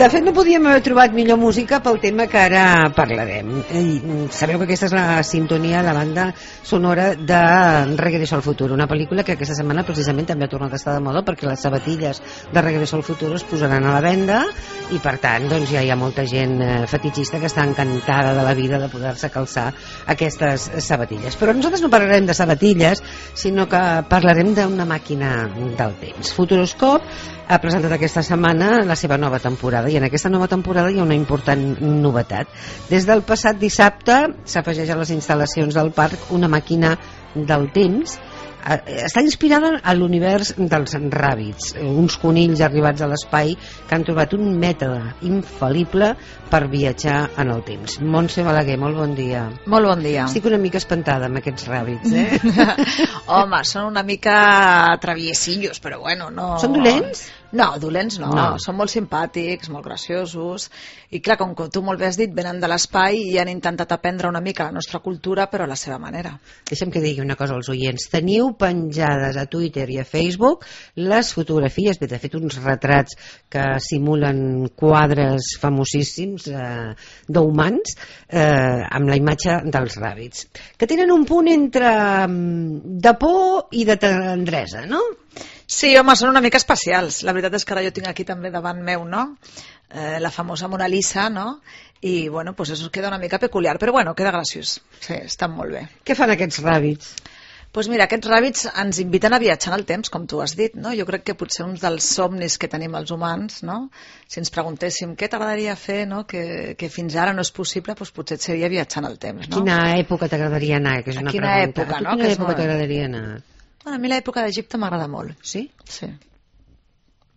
De fet, no podíem haver trobat millor música pel tema que ara parlarem. Sabeu que aquesta és la sintonia, la banda sonora de Regreso al Futuro, una pel·lícula que aquesta setmana precisament també ha tornat a estar de moda perquè les sabatilles de Regreso al Futuro es posaran a la venda i per tant doncs, ja hi ha molta gent fetichista que està encantada de la vida de poder-se calçar aquestes sabatilles. Però nosaltres no parlarem de sabatilles, sinó que parlarem d'una màquina del temps. Futuroscope ha presentat aquesta setmana la seva nova temporada i en aquesta nova temporada hi ha una important novetat. Des del passat dissabte s'afegeix a les instal·lacions del parc una màquina del temps. Està inspirada a l'univers dels ràbits, uns conills arribats a l'espai que han trobat un mètode infal·lible per viatjar en el temps. Montse Balaguer, molt bon dia. Molt bon dia. Estic una mica espantada amb aquests ràbits, Home, són una mica traviesillos, però bueno, no... Són dolents? No, dolents no. Són molt simpàtics, molt graciosos, i clar, com tu molt bé has dit, venen de l'espai i han intentat aprendre una mica la nostra cultura, però a la seva manera. Deixa'm que digui una cosa als oients. Teniu penjades a Twitter i a Facebook les fotografies, de fet uns retrats que simulen quadres famosíssims d'humans amb la imatge dels ràbits, que tenen un punt entre de por i de tendresa, no? Sí, home, són una mica especials. La veritat és que ara jo tinc aquí també davant meu, no? La famosa Mona Lisa, no? I, bueno, pues eso queda una mica peculiar, però bueno, queda graciós. Sí, estan molt bé. Què fan aquests ràbits? Doncs mira, aquests ràbits ens inviten a viatjar en el temps, com tu has dit, no? Jo crec que potser un dels somnis que tenim els humans, no? Si ens preguntéssim què t'agradaria fer, no? Que fins ara no és possible, doncs potser seria viatjar en el temps, no? A quina època t'agradaria anar? Que és una quina pregunta. època, no? A quina època t'agradaria anar? Bueno, a mi l'època d'Egipte m'agrada molt. Sí? Sí.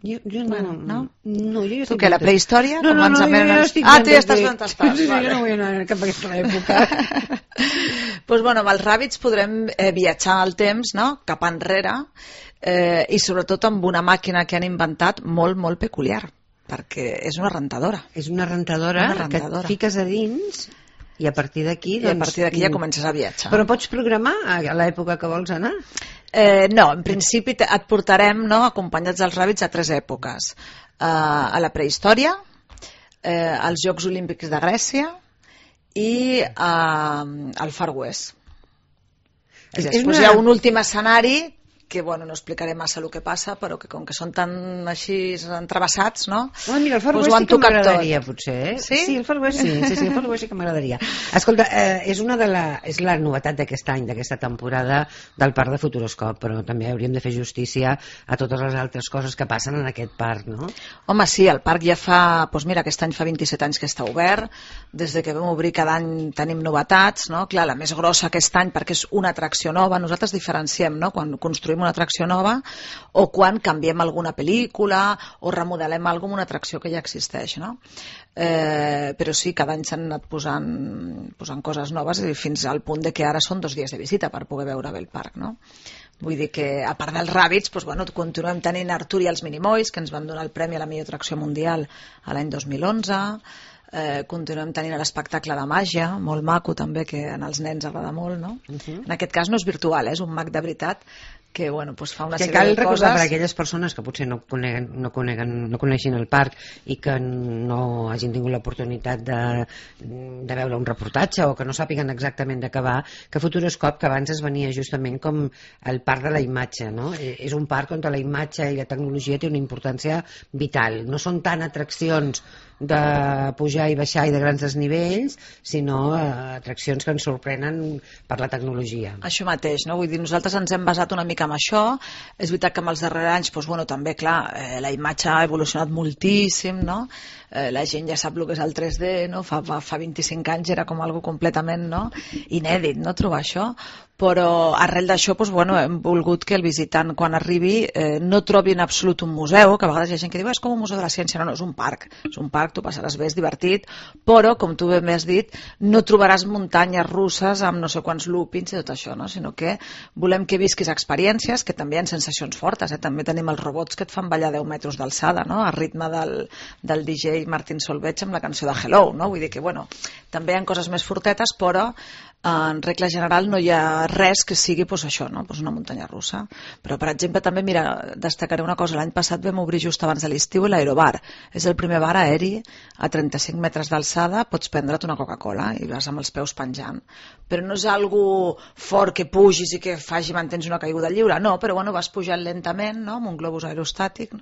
Jo no. Bueno, no? No, jo tu què, la prehistòria? No, com ens jo estic... tu ja estàs on estàs. Sí, vale. Jo no vull anar cap a aquesta època. Doncs bueno, amb els ràbits podrem viatjar al temps, no? Cap enrere, i sobretot amb una màquina que han inventat molt, molt peculiar, perquè és una rentadora. És una rentadora que et fiques a dins i a partir d'aquí... I a partir d'aquí ja comences a viatjar. Però pots programar a l'època que vols anar? No, en principi et portarem, no, acompanyats dels ràbits a 3 èpoques. A la prehistòria, als Jocs Olímpics de Grècia i al Far West. I després hi ha un últim escenari que, bueno, no explicaré massa el que passa, però que com que són tan així entrevessats, no? Mira, el Far West sí que m'agradaria, potser, eh? Sí? Sí, el Far West sí, el Far West sí que m'agradaria. Escolta, és la novetat d'aquest any, d'aquesta temporada del parc de Futuroscope, però també hauríem de fer justícia a totes les altres coses que passen en aquest parc, no? Home, sí, el parc ja fa, doncs mira, aquest any fa 27 anys que està obert, des de que vam obrir cada any tenim novetats, no? Clar, la més grossa aquest any perquè és una atracció nova, nosaltres diferenciem, no?, quan construïm una atracció nova o quan canviem alguna pel·lícula o remodelem alguna cosa, una atracció que ja existeix, no? Però sí, cada any s'han anat posant coses noves i fins al punt de que ara són 2 dies de visita per poder veure bé el parc, no? Vull dir que, a part dels ràbits, doncs, bueno, continuem tenint Artur i els Minimoys, que ens van donar el premi a la millor atracció mundial a l'any 2011, continuem tenint l'espectacle de màgia, molt maco també, que als nens agrada molt, no? En aquest cas no és virtual, és un mag de veritat que, bueno, doncs fa una sèrie de coses... Que cal recordar per a aquelles persones que potser no coneixin el parc i que no hagin tingut l'oportunitat de veure un reportatge o que no sàpiguen exactament de què va, que Futuroscope, que abans es venia justament com el parc de la imatge, no? És un parc on la imatge i la tecnologia té una importància vital. No són tant atraccions de pujar i baixar i de grans desnivells, sinó atraccions que ens sorprenen per la tecnologia. Això mateix, no? Vull dir, nosaltres ens hem basat una mica en això. És veritat que en els darrers anys, doncs, bueno, també, clar, la imatge ha evolucionat moltíssim, no? La gent ja sap el que és el 3D, no? Fa 25 anys era com algo completament, no?, inèdit, no?, trobar això. Però arrel d'això, doncs, bueno, hem volgut que el visitant, quan arribi, no trobi en absolut un museu, que a vegades hi ha gent que diu és com un museu de la ciència. No, no, és un parc, tu passaràs bé, és divertit, però, com tu bé m'has dit, no trobaràs muntanyes russes amb no sé quants loopings i tot això, no? Sinó que volem que visquis experiències, que també hi ha sensacions fortes, també tenim els robots que et fan ballar 10 metres d'alçada, no?, a ritme del DJ Martin Solveig amb la cançó de Hello, no? Vull dir que, bueno, també hi ha coses més fortetes, però en regla general no hi ha res que sigui, doncs, això, no?, doncs una muntanya russa. Però, per exemple, també, mira, destacaré una cosa. L'any passat vam obrir just abans de l'estiu l'Aerobar. És el primer bar aeri aquí, a 35 metres d'alçada, pots prendre't una Coca-Cola i vas amb els peus penjant. Però no és algo fort que pugis i que faci mantens una caiguda lliure, no, però bueno, vas pujant lentament, no?, amb un globus aerostàtic,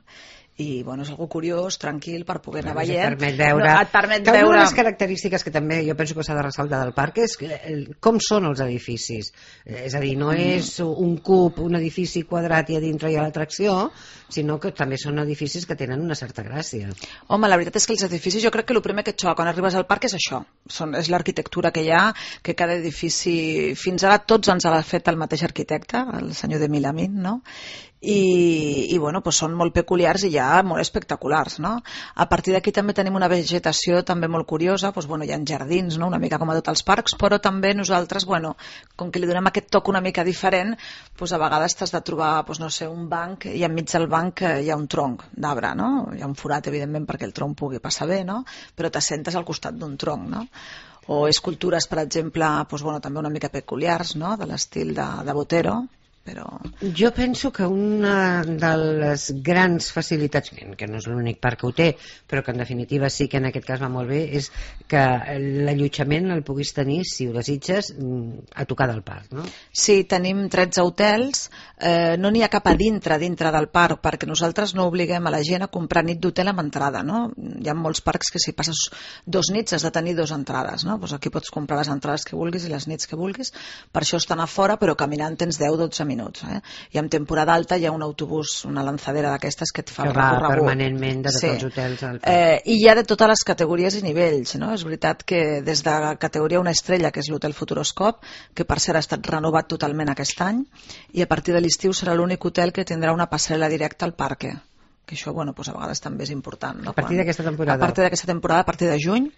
i bueno, és algo curiós, tranquil, per poder anar veient. Et permet veure... No, et permet que veure... una de les característiques que també jo penso que s'ha de ressaltar del parc és com són els edificis. És a dir, no és un cub, un edifici quadrat i a dintre hi ha l'atracció, sinó que també són edificis que tenen una certa gràcia. Home, la veritat és que els edificis, jo crec que el primer que et xoca quan arribes al parc és això. És l'arquitectura que hi ha, que cada edifici... Fins ara tots ens ha fet el mateix arquitecte, el senyor de Milamín, no?, i bueno, doncs són molt peculiars i ja molt espectaculars, no? A partir d'aquí també tenim una vegetació també molt curiosa, doncs bueno, hi ha jardins, no?, una mica com a tots els parcs, però també nosaltres, bueno, com que li donem aquest toc una mica diferent, doncs a vegades t'has de trobar, doncs no sé, un banc i enmig del banc hi ha un tronc d'arbre, no? Hi ha un forat, evidentment, perquè el tronc pugui passar bé, no?, però t'assentes al costat d'un tronc, no? O escultures, per exemple, doncs bueno, també una mica peculiars, no?, de l'estil de Botero, però... Jo penso que una de les grans facilitats, que no és l'únic parc que ho té, però que en definitiva sí que en aquest cas va molt bé, és que l'allotjament el puguis tenir, si ho desitges, a tocar del parc, no? Sí, tenim 13 hotels, no n'hi ha cap a dintre del parc, perquè nosaltres no obliguem a la gent a comprar nit d'hotel amb entrada, no? Hi ha molts parcs que si passes 2 nits has de tenir 2 entrades, no? Doncs aquí pots comprar les entrades que vulguis i les nits que vulguis, per això estan a fora, però caminant tens 10-12 minuts, i en temporada alta hi ha un autobús, una lanzadera d'aquestes que et fa el recorregut. Que va permanentment de tots els hotels al parc. I hi ha de totes les categories i nivells, no? És veritat que des de categoria 1 estrella, que és l'hotel Futuroscop, que per cert ha estat renovat totalment aquest any, i a partir de l'estiu serà l'únic hotel que tindrà una passarel·la directa al parc, que això, bueno, doncs a vegades també és important, no? A partir d'aquesta temporada? A partir d'aquesta temporada, a partir de juny,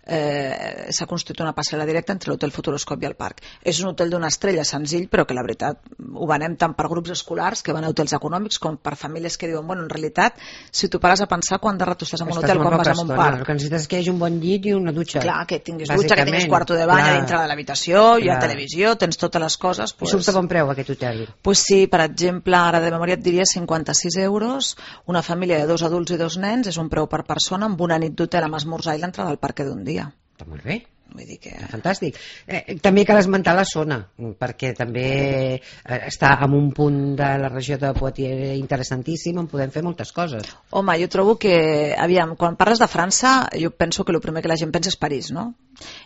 s'ha construït una passarel·la directa entre l'hotel Futuroscop i el parc. És un hotel d'una estrella senzill, però que la veritat ho venem tant per grups escolars que van a hotels econòmics com per famílies que diuen, bueno, en realitat, si tu pares a pensar quant de rato estàs en un hotel quan vas a un parc. El que necessites és que hi hagi un bon llit i una dutxa. Clar, que tinguis dutxa, que tinguis quarto de bany a dintre de l'habitació, hi ha televisió, tens totes les coses. I surt a bon preu aquest hotel? Doncs sí, per exemple, ara de memòria et diria 56 euros, una família de 2 adults i 2 nens, és un preu per persona, amb una nit d'hotel amb esmorzar i l'entrada al parc d'un dia. Està molt bé. Vull dir que... Fantàstic. També cal esmentar la zona, perquè també està en un punt de la regió de Poitiers interessantíssim, on podem fer moltes coses. Home, jo trobo que, aviam, quan parles de França, jo penso que el primer que la gent pensa és París, no?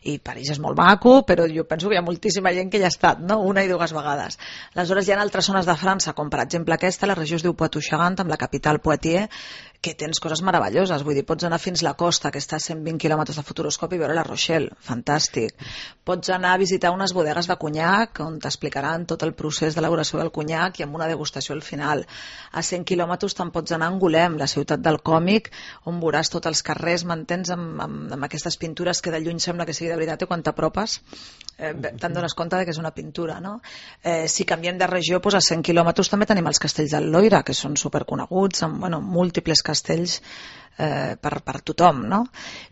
I París és molt maco, però jo penso que hi ha moltíssima gent que hi ha estat, no?, 1 i 2 vegades. Aleshores hi ha altres zones de França, com per exemple aquesta, la regió es diu Poitou-Charentes, amb la capital Poitiers, que tens coses meravelloses, vull dir, pots anar fins a la costa, que està a 120 quilòmetres de Futuroscop, i veure la Rochelle, fantàstic. Pots anar a visitar unes bodegues de conyac, on t'explicaran tot el procés d'elaboració del conyac i amb una degustació al final. A 100 quilòmetres te'n pots anar a Angoulême, la ciutat del còmic, on veuràs tots els carrers, m'entens, amb aquestes pintures que de lluny sembla que sigui de veritat, i quan t'apropes te'n dones compte que és una pintura, no? Si canviem de regió, doncs a 100 quilòmetres també tenim els castells del Loira, que són superconeguts, amb múltiples castells per tothom, no?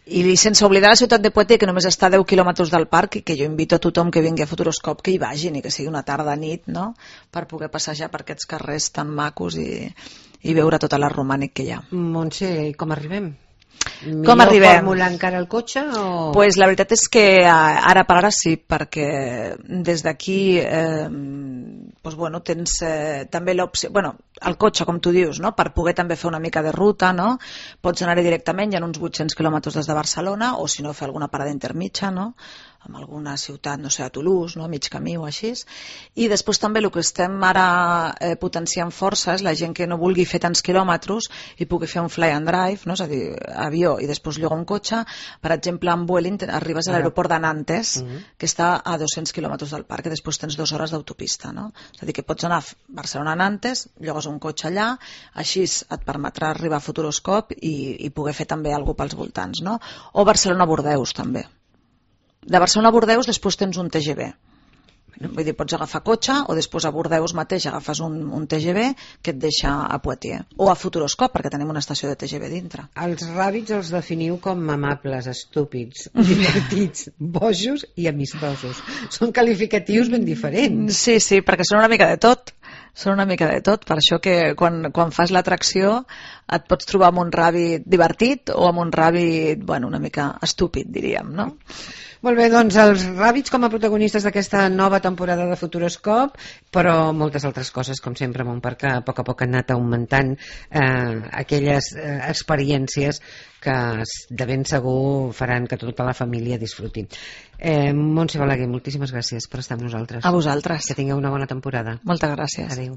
I sense oblidar la ciutat de Poitiers, que només està a 10 quilòmetres del parc, i que jo invito a tothom que vingui a Futuroscop que hi vagin, i que sigui una tarda nit, no?, per poder passejar per aquests carrers tan macos i veure tot l'art romànic que hi ha. Montse, com arribem? Com arribem? Fórmula encara el cotxe? Pues la veritat és que ara per ara sí, perquè des d'aquí doncs, bueno, tens també l'opció, bueno, el cotxe, com tu dius, no?, per poder també fer una mica de ruta, no?, pots anar-hi directament, hi ha uns 800 quilòmetres des de Barcelona, o si no fer alguna parada intermitja, no?, amb alguna ciutat, no sé, a Toulouse, no?, mig camí o així. I després també el que estem ara potenciant força és la gent que no vulgui fer tants quilòmetres i pugui fer un fly and drive, no?, és a dir, avió i després llogar un cotxe. Per exemple, amb Vueling arribes a l'aeroport de Nantes, que està a 200 quilòmetres del parc, i després tens 2 hores d'autopista, no? És a dir, que pots anar a Barcelona a Nantes, llogues un cotxe allà, així et permetrà arribar a Futuroscop i poder fer també alguna cosa pels voltants, no? O Barcelona-Bordeus també. De Barcelona a Bordeus després tens un TGV. Vull dir, pots agafar cotxe o després a Bordeus mateix agafes un TGV que et deixa a Poitiers. O a Futuroscop, perquè tenim una estació de TGV dintre. Els ràbits els definiu com amables, estúpids, divertits, bojos i amistosos. Són qualificatius ben diferents. Sí, perquè són una mica de tot. Són una mica de tot, per això que quan fas l'atracció et pots trobar amb un ràbit divertit o amb un ràbit, bueno, una mica estúpid, diríem, no? Molt bé, doncs els ràbits com a protagonistes d'aquesta nova temporada de Futuroscop, però moltes altres coses, com sempre, Montparc, que a poc han anat augmentant aquelles experiències que de ben segur faran que tota la família disfruti. Montse Balaguer, moltíssimes gràcies per estar amb nosaltres. A vosaltres. Que tingueu una bona temporada. Moltes gràcies. Adéu.